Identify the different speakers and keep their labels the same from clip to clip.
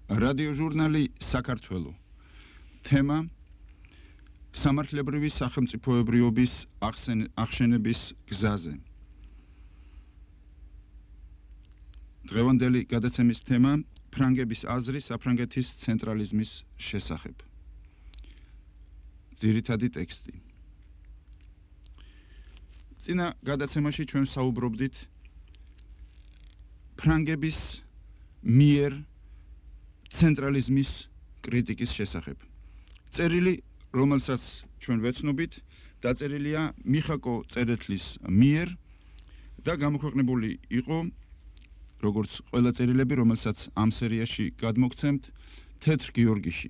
Speaker 1: რადიოჟურნალი საქართველო. თემა სამართლებრივი სახელმწიფოებრიობის აღშენების გზაზე. დღევანდელი გადაცემის თემა ფრანგების აზრი საფრანგეთის ცენტრალიზმის შესახებ. ძირითადი ტექსტი. წინა გადაცემაში ჩვენ საუბრობდით ფრანგების მიერ ცენტრალიზმის კრიტიკის შესახებ. წერილი, რომელსაც ჩვენ ვეცნობით, დაწერილია მიხაკო წერეთლის მიერ და გამოქვეყნებული იყო, როგორც ყველა წერილები, რომელსაც ამ სერიაში გადმოგცემთ, თეთრ გიორგიში.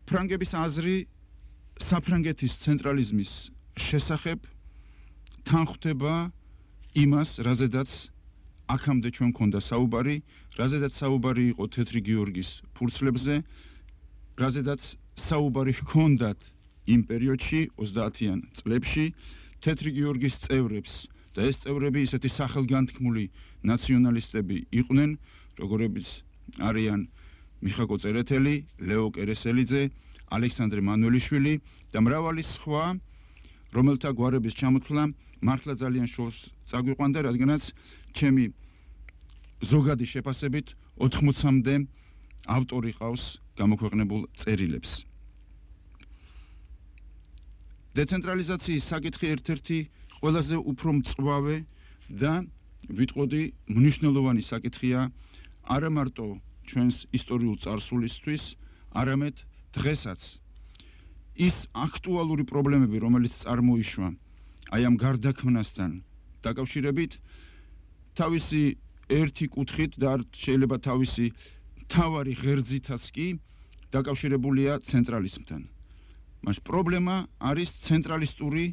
Speaker 1: ფრანგების აზრი საფრანგეთის ცენტრალიზმის შესახებ თან ხვდება იმას, რაზედაც აქამდე ჩვენ გვქონდა საუბარი, რაზედაც საუბარი იყო თეთრი გიორგის ფურცლებზე, რაზედაც საუბარი ჰქონდათ იმ პერიოდში 30-იან წლებში თეთრი გიორგის წევრებს და ეს წევრები ისეთი სახელგანთქმული ნაციონალისტები იყვნენ, როგორებიც არიან მიხაკო წერეთელი, ლეო კერესელიძე, ალექსანდრე მანუელიშვილი და მრავალი სხვა, რომელთა გვარების ჩამოთვლა მართლა ძალიან შორს წაგვიყვანდა, რადგანაც ჩემი ზოგადი შეფასებით 80-მდე ავტორი ყავს გამოქვეყნებულ წერილებს. დეცენტრალიზაციის საკითხი ერთ-ერთი ყველაზე უფრო მწვავე და ვიტყოდი მნიშვნელოვანი საკითხია არა მარტო ჩვენს ისტორიულ წარსულისთვის, არამედ დღესაც. ის აქტუალური პრობლემები, რომელიც წარმოიშვა აი ამ გარდაქმნასთან დაკავშირებით, თავისი ერთი კუთხით და შეიძლება თავისი მთავარი ღერძითაც კი დაკავშირებულია ცენტრალიზმთან. მას პრობლემა არის ცენტრალისტური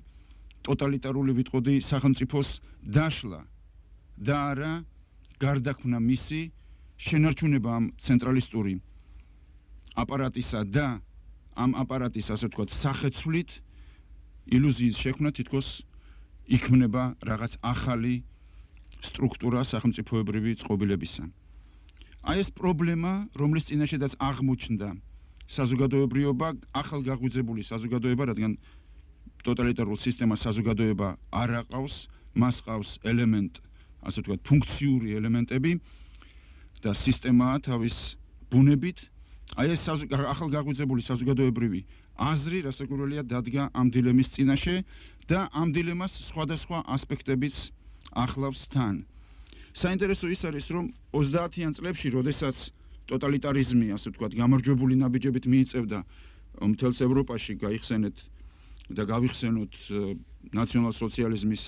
Speaker 1: ტოტალიტარული ვიტყოდი სახელმწიფოს დაშლა და არა გარდაქმნა მისი შენარჩუნება ამ ცენტრალისტური აპარატისა და ამ აპარატის, ასე ვთქვათ, სახეცვლით ილუზიის შექმნა, თითქოს იქმნება რაღაც ახალი სტრუქტურა სახელმწიფოებრივი წყობილებისა. აი ეს პრობლემა, რომლის წინაშედაც აღმოჩნდა საზოგადოებრიობა, ახალ გაღვიძებული საზოგადოება, რადგან ტოტალიტარულ სისტემას საზოგადოება არ აყავს, მას ყავს ელემენტ, ასე ვთქვათ, ფუნქციური ელემენტები და სისტემაა თავის ბუნებით. აი ეს ახალ გაღვიძებული საზოგადოებრივი აზრი, რასაკვირველია, დადგა ამ დილემის წინაშე და ამ დილემას სხვადასხვა ასპექტებიც ახლავს თან. საინტერესო ის არის, რომ 30-იან წლებში, როდესაც ტოტალიტარიზმი, ასე ვთქვათ, გამარჯვებული ნაბიჯებით მიიწევდა მთელს ევროპაში გაიხსენეთ და გავიხსენოთ ნაციონალ-სოციალიზმის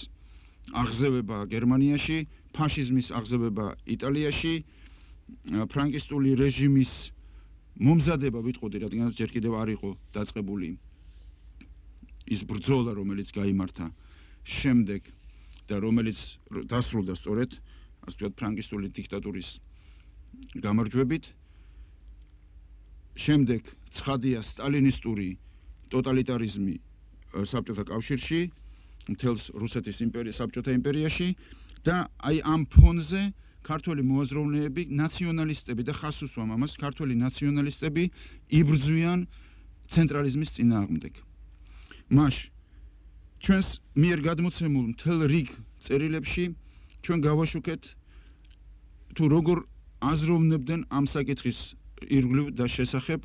Speaker 1: აღზევება გერმანიაში, ფაშიზმის აღზევება იტალიაში, ფრანკისტული რეჟიმის მომზადება ვიტყოდი, რადგანაც ჯერ კიდევ არ იყო დაწყებული ის ბრძოლა, რომელიც გაიმართა შემდეგ და რომელიც დასრულდა სწორედ, ასე ვთქვათ, ფრანკისტული დიქტატურის გამარჯვებით. შემდეგ ცხადია სტალინისტური ტოტალიტარიზმი საბჭოთა კავშირში, მთელს რუსეთის იმპერიის, საბჭოთა იმპერიაში და აი ამ ფონზე ქართველი მოაზროვნეები, ნაციონალისტები და ხაზს უსვამ ამას, ქართველი ნაციონალისტები იბრძვიან ცენტრალიზმის წინააღმდეგ. მაშ ჩვენს მიერ გადმოცემულ მთელ რიგ წერილებში ჩვენ გავაშუქეთ თუ როგორ აზროვნებდნენ ამ საკითხის ირგვლივ და შესახებ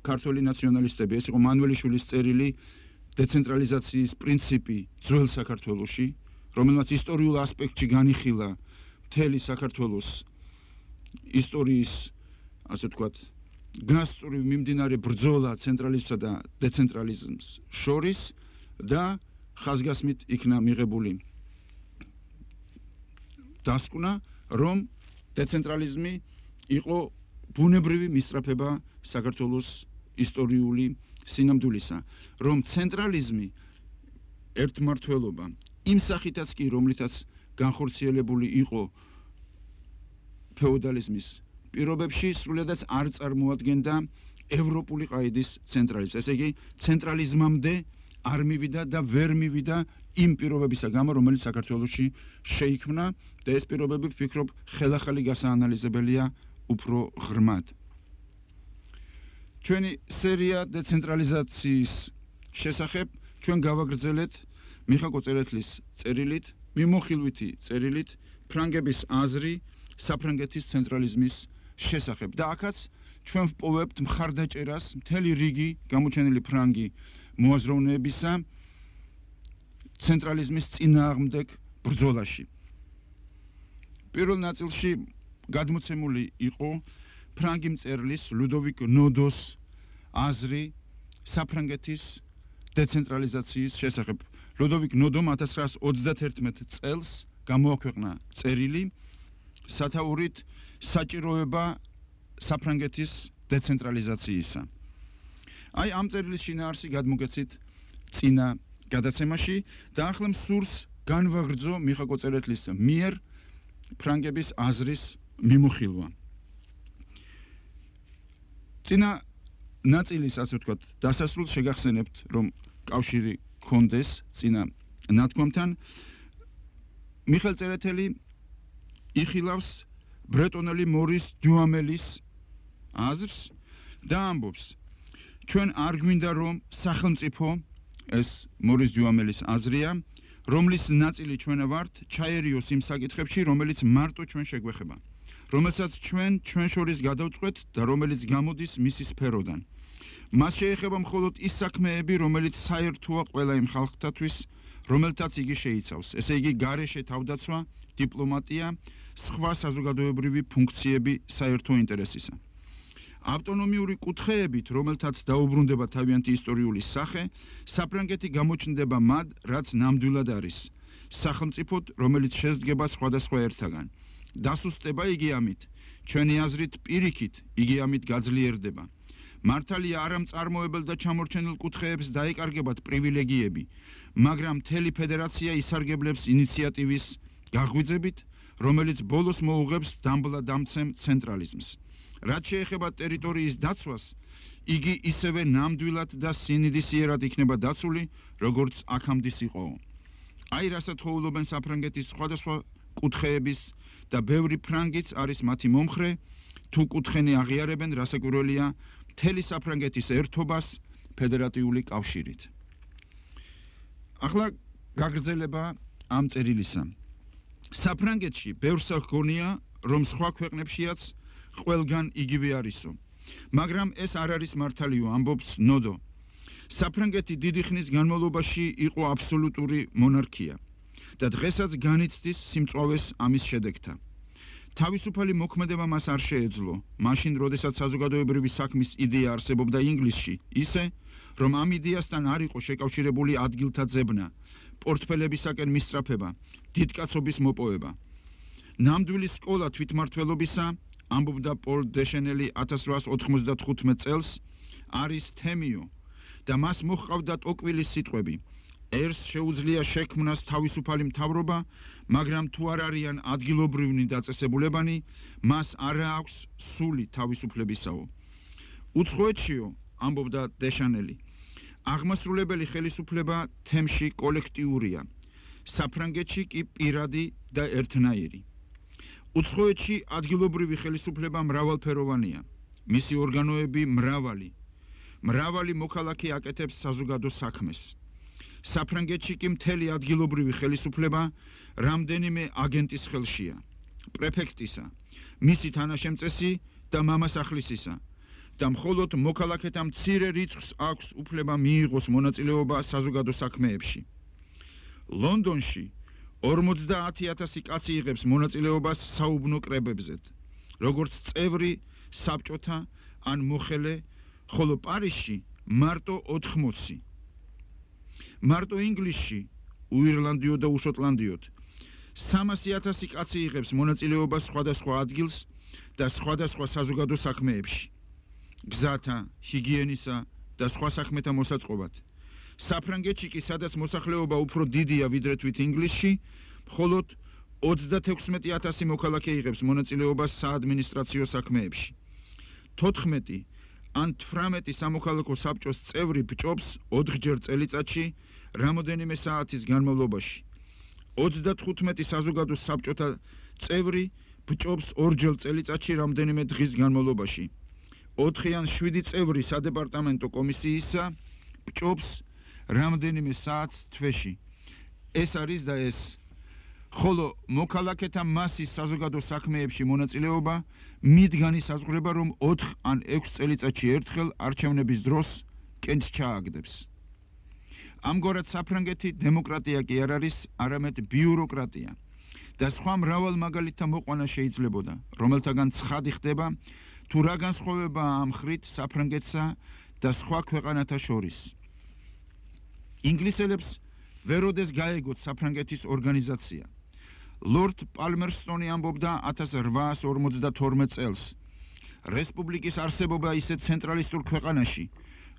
Speaker 1: ქართველი ნაციონალისტები. ეს იყო მანუელიშვილის წერილი დეცენტრალიზაციის პრინციპი ძველ საქართველოში, რომელმაც ისტორიულ ასპექტში განიხილა მთელი საქართველოს ისტორიის, ასე ვთქვათ, გასწვრივ მიმდინარე ბრძოლა ცენტრალიზმსა და დეცენტრალიზმს შორის და ხაზგასმით იქნა მიღებული დასკვნა, რომ დეცენტრალიზმი იყო ბუნებრივი მისწრაფება საქართველოს ისტორიული სინამდვილისა, რომ ცენტრალიზმი ერთმართველობა იმ სახითაც კი, რომლითაც განხორციელებული იყო ფეოდალიზმის პირობებში, სრულიადაც არ წარმოადგენდა ევროპული ყაიდის ცენტრალიზმს. ესე იგი, ცენტრალიზმამდე არ მივიდა და ვერ მივიდა იმ პირობებისა გამო, რომელიც საქართველოში შეიქმნა და ეს პირობები ვფიქრობ ხელახალი გასაანალიზებელია უფრო ღრმად. ჩვენი სერია დეცენტრალიზაციის შესახებ ჩვენ გავაგრძელეთ მიხა კვოწერეთლის წერილით, მიმოხილვითი წერილით ფრანგების აზრი საფრანგეთის ცენტრალიზმის შესახებ და აქაც ჩვენ ვპოვებთ მხარდაჭერას მთელი რიგი გამოჩენილი ფრანგი მოაზროვნეებისა ცენტრალიზმის წინააღმდეგ ბრძოლაში. პირველ ნაწილში გადმოცემული იყო ფრანგი მწერლის ლუდოვიკ ნოდოს აზრი საფრანგეთის დეცენტრალიზაციის შესახებ. ლუდოვიკ ნოდომ 1931 წელს გამოაქვეყნა წერილი სათაურით საჭიროება საფრანგეთის დეცენტრალიზაციისა. აი ამ წერილის შინაარსი გადმოგეცით წინა გადაცემაში და ახლა მსურს განვაგრძო მიხა კვოწერეთლის მიერ ფრანგების აზრის მიმოხილვა. წინა ნაწილის ასე ვთქვათ დასასრულს შეგახსენებთ რომ კავშირი ქონდეს წინა ნათქვამთან. მიხელ წერეთელი იხილავს ბრეტონელი მორის დიუამელის აზრს და ამბობს ჩვენ არ გვინდა რომ სახელმწიფო ეს მორის დიუამელის აზრია რომლის ნაწილი ჩვენ ვართ ჩაერიოს იმ საკითხებში რომელიც მარტო ჩვენ შეგვეხება რომელსაც ჩვენ შორის გადავწყვეტ და რომელიც გამოდის მისი სფეროდან მას შეეხება მხოლოდ ის საქმეები რომელიც საერთოა ყველა იმ ხალხთათვის რომელთაც იგი შეიცავს ესე იგი გარეშე თავდაცვა დიპლომატია სხვა საზოგადოებრივი ფუნქციები საერთო ინტერესისა. ავტონომიური კუთხეებით, რომელთაც დაუბრუნდება თავიანთი ისტორიული სახე, საფრანგეთი გამოჩნდება მად, რაც ნამდვილად არის. სახელმწიფოდ, რომელიც შედგება სხვადასხვა ერთაგან. დასუსტება იგი ამით, ჩვენი აზრით პირიქით, იგი ამით გაძლიერდება. მართალია არა მწარმოებელ და ჩამორჩენილ კუთხეებს დაეკარგებათ პრივილეგიები, მაგრამ მთელი ფედერაცია ისარგებლებს ინიციატივის გაღვიძებით, რომელიც ბოლოს მოუღებს დამბლა-დამცემ ცენტრალიზმს. რაც შეეხება ტერიტორიის დაცვას, იგი ისევე ნამდვილად და სინდისიერად იქნება დაცული, როგორც აქამდე იყო. აი რასაც ხოვლობენ საფრანგეთის სხვადასხვა კუთხეების და ბევრი ფრანგიც არის მათი მომხრე, თუ კუთხენი აღიარებენ, რასაკვირველია, მთელი საფრანგეთის ერთობას ფედერატიული კავშირით. ახლა გაგრძელება ამ წერილისა. საფრანგეთში ბევრს ჰგონია, რომ სხვა ქვეყნებშიაც ყველგან იგივე არისო. მაგრამ ეს არ არის მართალიო, ამბობს ნოდო. საფრანგეთი დიდი ხნის განმავლობაში იყო აბსოლუტური მონარქია და დღესაც განიცდის სიმწვავეს ამის შედეგთა. თავისუფალი მოქმედება მას არ შეეძლო, მაშინ როდესაც საზოგადოებრივი საქმის იდეა არსებობდა ინგლისში, ისე რომ ამ იდეასთან არ იყო შეკავშირებული ადგილთა ძებნა, პორტფელებისაკენ მისწრაფება, დიდკაცობის მოპოვება. ნამდვილი სკოლა თვითმმართველობისა, ამბობდა პოლ დეშენელი 1895 წელს, არის თემიო და მას მოჰყავდა ტოკვილის სიტყვები. ერს შეუძლია შექმნას თავისუფალი მთავრობა, მაგრამ თუ არ არიან ადგილობრივნი დაწესებულებანი, მას არ აქვს სული თავისუფლებისაო. უცხოეთშიო, ამბობდა დეშანელი, აღმასრულებელი ხელისუფლება თემში კოლექტიურია, საფრანგეთში კი პირადი და ერთნაირი. უცხოეთში ადგილობრივი ხელისუფლება მრავალფეროვანია, მისი ორგანოები მრავალი მოქალაქე აკეთებს საზოგადო საქმეს. საფრანგეთში კი მთელი ადგილობრივი ხელისუფლება რამდენიმე აგენტის ხელშია, პრეფექტისა, მისი თანაშემწესი და მამასახლისისა და მხოლოდ მოქალაქეთა მცირე რიცხვს აქვს უფლება მიიღოს მონაწილეობა საზოგადო საქმეებში. ლონდონში 50,000 კაცი იღებს მონაწილეობას საუბნო კრებებზე, როგორც წევრი საბჭოთა ან მოხელე, ხოლო პარიზში მარტო 80. მარტო ინგლისში, უირლანდიო და უშოტლანდიოდ 300,000 კაცი იღებს მონაწილეობას სხვადასხვა ადგილს და სხვადასხვა საზოგადო საქმეებში, გზათა, ჰიგიენისა და სხვა საქმეთა მოსაწყობად. საფრანგეთში კი, სადაც მოსახლეობა უფრო დიდია ვიდრე თვით ინგლისში, მხოლოდ 36,000 მოქალაქე იღებს მონაწილეობას საადმინისტრაციო საქმეებში. 14 ან 18 სამოქალაქო საბჭოს წევრი ბჭობს 4-ჯერ წელიწადში რამოდენიმე საათის განმავლობაში. 35 საზოგადო საბჭოთა წევრი ბჭობს 2-ჯერ წელიწადში რამდენიმე დღის განმავლობაში. 4 ან 7 წევრი სადეპარტამენტო კომისიისა ბჭობს რამდენიმე საათს თვეში. ეს არის და ეს. ხოლო მოქალაქეთა მასის საზოგადო საქმეებში მონაწილეობა მით განისაზღვრება, რომ 4 ან 6 წელიწადში ერთხელ არჩევნების დროს კენჭს ჩააგდებს. ამგვარად საფრანგეთი დემოკრატია კი არ არის, არამედ ბიუროკრატია. და სხვა მრავალ მაგალითთა მოყვანა შეიძლებოდა, რომელთაგან ცხადი ხდება, თუ რა განსხვავებაა ამ ხრით საფრანგეთსა და სხვა ქვეყანათა შორის. ინგლისელებს ვეროდეს გაეგოთ საფრანგეთის ორგანიზაცია. ლორდ პალმერსტონი ამბობდა 1852 წელს. რესპუბლიკის არსებობა ისეთ ცენტრალისტურ ქვეყანაში,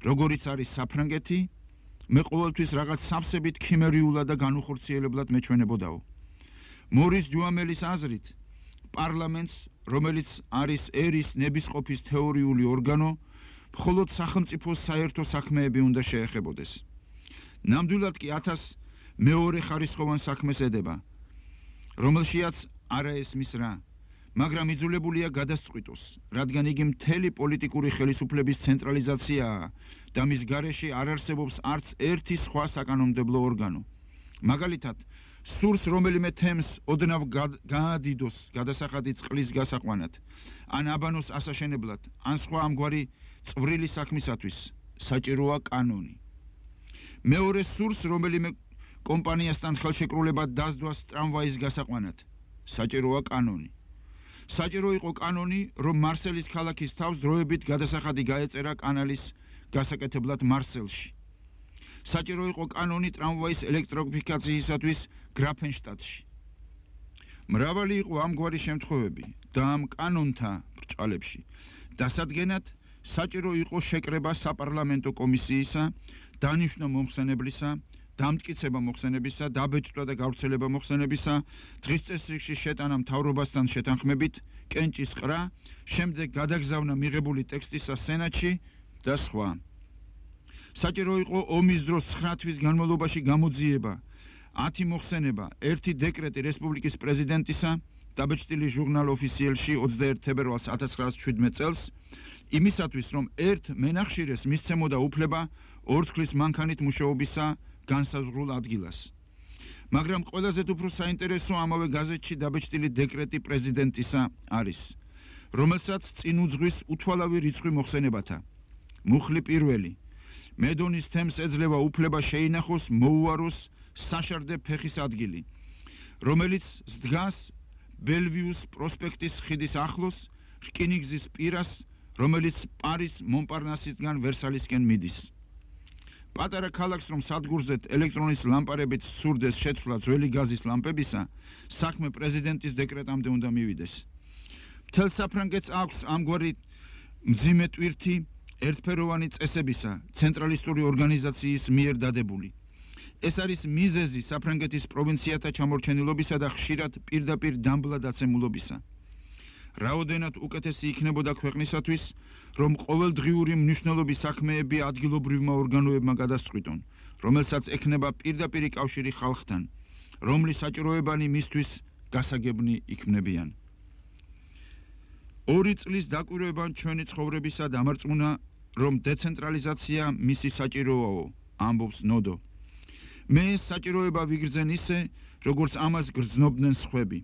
Speaker 1: როგორიც არის საფრანგეთი, მე ყოველთვის რაღაც სავსებით ქიმერიულად და განუხორციელებლად მეჩვენებოდაო. მორის ჯუამელის აზრით, პარლამენტს, რომელიც არის ერის ნებისყოფის თეორიული ორგანო, მხოლოდ სახელმწიფოს საერთო საქმეები უნდა შეეხებოდეს. ნამდვილად კი 1002 ხარისხოვან საქმეს ედება, რომელშიაც არა ესმის რა, მაგრამ იძულებულია გადასწყვიტოს, რადგან იგი მთელი პოლიტიკური ხელისუფლების ცენტრალიზაციაა და მის გარეშე არ არსებობს არც ერთი სხვა საკანონმდებლო ორგანო. მაგალითად, სურს რომელიმე თემს ოდნავ გაადიდოს გადასახადი წყლის გასაყვანად, ან აბანოს ასაშენებლად, ან სხვა ამგვარი წვრილი საქმისათვის საჭიროა კანონი. მეორე სურს რომელიმე კომპანიასთან ხელშეკრულება დასდვას ტრამვაის გასაყვანად, საჭიროა კანონი. საჭირო იყო კანონი, რომ მარსელის ქალაქის თავს დროებით გადასახადი გაეწერა კანალის გასაკეთებლად მარსელში. საჭირო იყო კანონი ტრამვაის ელექტროფიკაციისათვის გრაფენშტადტში. მრავალი იყო ამგვარი შემთხვევები და ამ კანონთა ბრჭყალებში დასადგენად საჭირო იყო შეკრება საპარლამენტო კომისიისა, დანიშვნა მომხსენებლისა, დამტკიცება მოხსენებისა, დაბეჭდვა და გავრცელება მოხსენებისა, დღის წესრიგში შეტანა მთავრობასთან შეთანხმებით, კენჭის ყრა, შემდეგ გადაგზავნა მიღებული ტექსტისა სენატში და სხვა. საჭირო იყო ომის დროს 9 თვის განმავლობაში გამოძიება, 10 მოხსენება, 1 დეკრეტი რესპუბლიკის პრეზიდენტისა, დაბეჭდილი ჟურნალ ოფიციელში 21 თებერვალს 1917 წელს, იმისათვის, რომ ერთ მენახშირეს მისცემოდა უფლება 2 თვის მანქანით მუშაობისა განსაზღვრულ ადგილას. მაგრამ ყველაზე უფრო საინტერესო ამავე გაზეთში დაბეჭდილი დეკრეტი პრეზიდენტისა არის, რომელსაც წინ უძღვის უთვალავი რიცხვი მოხსენებათა. მუხლი პირველი. მედონის თემს ეძლევა უფლება შეინახოს, მოუაროს საშარდე ფეხის ადგილი, რომელიც დგას ბელვიუს პროსპექტის ხიდის ახლოს, რკინიგზის პირას, რომელიც პარის მონპარნასისგან ვერსალისკენ მიდის. პატარა ქალაქს რომ სადგურზეთ ელექტრონის ლამპარებით სურდეს შეცვლა ძველი გაზის ლამპებისა, საქმე პრეზიდენტის დეკრეტამდე უნდა მივიდეს. მთელ საფრანგეთს აქვს ამგვარი მძიმე ტვირთი ერთფეროვანი წესებისა, ცენტრალისტური ორგანიზაციის მიერ დადებული. ეს არის მიზეზი საფრანგეთის პროვინციათა ჩამორჩენილობისა და ხშირად პირდაპირ დამბლა დაცემულობისა. რაოდენად უკეთესი იქნებოდა ქვეყნისათვის, რომ ყოველდღიური მნიშვნელობის საქმეები ადგილობრივმა ორგანოებმა გადასწყვიტონ, რომელსაც ექნება პირდაპირი კავშირი ხალხთან, რომლის საჭიროებანი მისთვის გასაგებნი იქმნებიან. 2 წლის დაკვირვებამ ჩვენი ცხოვრებისა დამარწმუნა, რომ დეცენტრალიზაცია მისი საჭიროაო, ამბობს ნოდო. მე ეს საჭიროება ვიგრძენ ისე, როგორც ამას გრძნობდნენ სხვები,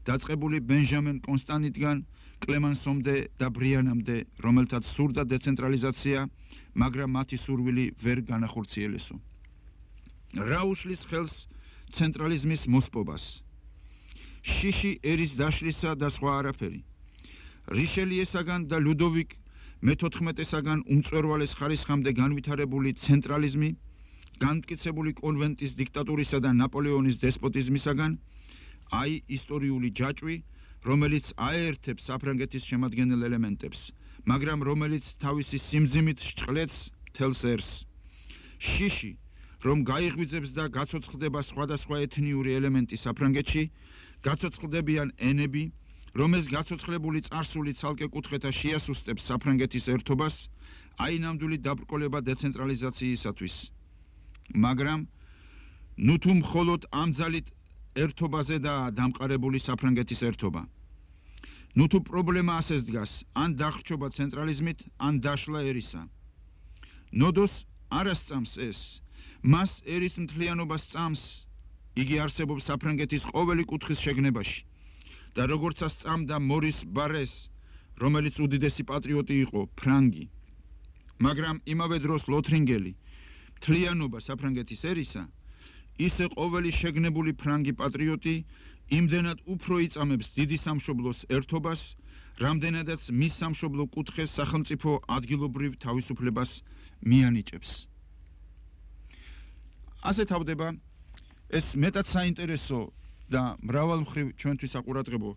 Speaker 1: დაწყებული ბენჟამენ კონსტანტინიდან კლემანსომდე და ბრიანამდე, რომელთაც სურდა დეცენტრალიზაცია, მაგრამ მათი სურვილი ვერ განახორციელესო. რა უშლის ხელს ცენტრალიზმის მოსპობას? შიში ერის დაშლისა და სხვა არაფერი. რიშელიესაგან და ლუდოვიკ მე-14-საგან უმწვერვალეს ხარისხამდე განვითარებული ცენტრალიზმი, განმტკიცებული კონვენტის დიქტატურისა და ნაპოლეონის დესპოტიზმისაგან, აი ისტორიული ჯაჭვი, რომელიც აერთებს საფრანგეთის შემადგენელ ელემენტებს, მაგრამ რომელიც თავისი სიმძიმით სჭყლets მთელს ერს. შიში, რომ გაიღვიძებს და გაცოცხლდება სხვადასხვა ეთნიური ელემენტი საფრანგეთში, გაცოცხლდებიან ენები, რომ ეს გაცოცხლებული წარსული ცალკე კუთხეთა შეასუსტებს საფრანგეთის ერთობას, აი ნამდვილი დაბრკოლება დეცენტრალიზაციისათვის. მაგრამ ნუ თუ მხოლოდ ამ ძალით ერთობაზე და დამყარებული საფრანგეთის ერთობა. ნუ თუ პრობლემა ასეც დგას, ან დახრჩობა ცენტრალიზმით, ან დაშლა ერისა. ნოდოს არ ასწამს ეს, მას ერის მთლიანობას სწამს, იგი არსებობს საფრანგეთის ყოველი კუთხის შეგნებაში და როგორც ასწამდა მორის ბარეს, რომელიც უდიდესი პატრიოტი იყო, ფრანგი. მაგრამ იმავე დროს ლოთრინგელი, მთლიანობა საფრანგეთის ერისა, ისე ყოველი შეგნებული ფრანგი პატრიოტი იმდენად უფრო იწამებს დიდი სამშობლოს ერთობას, რამდენადაც მის სამშობლო კუთხეს სახელმწიფო ადგილობრივ თავისუფლებას მიანიჭებს. ასე თავდება ეს მეტად საინტერესო და მრავალმხრივ ჩვენთვის საყურადღებო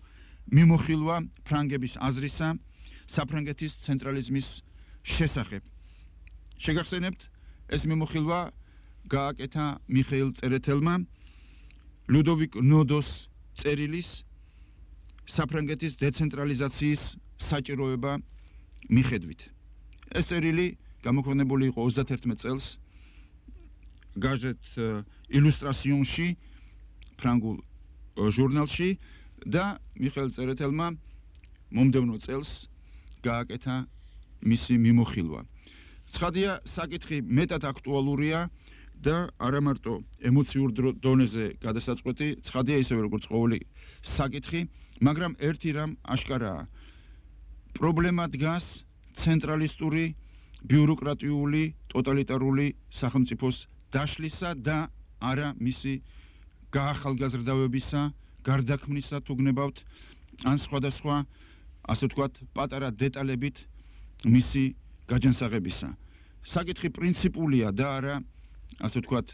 Speaker 1: მიმოხილვა ფრანგების აზრისა საფრანგეთის ცენტრალიზმის შესახებ. შეგახსენებთ, ეს მიმოხილვა გააკეთა მიხეილ წერეთელმა ლუდოვიკ ნოდოს წერილის საფრანგეთის დეცენტრალიზაციის საჭიროება მიხედვით. ეს წერილი გამოქვეყნებული იყო 31 წელს გაზეთ ილუსტრაციონში, ფრანგულ ჟურნალში და მიხეილ წერეთელმა მომდევნო წელს გააკეთა მისი მიმოხილვა. ცხადია, საკითხი მეტად აქტუალურია და არა მარტო ემოციურ დონეზე გადასაწყვეტი, ცხადია ისევე როგორც ყოველი საკითხი, მაგრამ ერთი რამ აშკარაა. პრობლემა დგას ცენტრალისტური, ბიუროკრატიული, ტოტალიტარული სახელმწიფოს დაშლისა და არა მისი გაახალგაზრდავებისა, გარდაქმნისა თუ გნებავთ, ან სხვადასხვა, ასე ვთქვათ, პატარა დეტალებით მისი გაჯანსაღებისა. საკითხი პრინციპულია და არა, ასე ვთქვათ,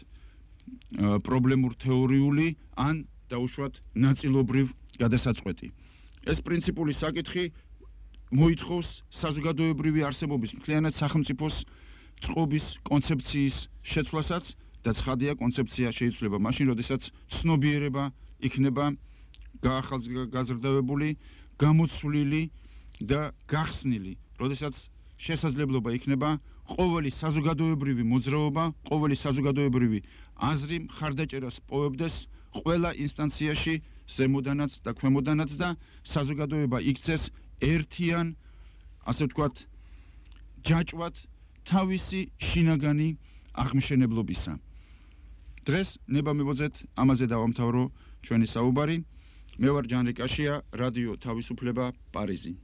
Speaker 1: პრობლემურ თეორიული ან დაუშვათ ნაწილობრივ გადასაწყვეტი. ეს პრინციპული საკითხი მოითხოვს საზოგადოებრივი არსებობის მთლიანად სახელმწიფოს წყობის კონცეფციის შეცვლასაც და ცხადია კონცეფცია შეიძლება მაშინ, როდესაც ცნობიერება იქნება გაახალგაზრდავებული, გამოცვლილი და გახსნილი, როდესაც შესაძლებლობა იქნება ყოველი საზოგადოებრივი მოძრაობა, ყოველი საზოგადოებრივი აზრი მხარდაჭერას პოვებდეს ყველა ინსტანციაში, ზემოდანაც და ქვემოდანაც და საზოგადოება იქცეს ერთიან, ასე ვთქვათ, ჯაჭვად თავისი შინაგანი აღმშენებლობისა. დღეს ნება მივოძეთ, ამაზე დავამთავრო ჩვენი საუბარი. მე ვარ ჯანრი კაშია, რადიო თავისუფლება, პარიზი.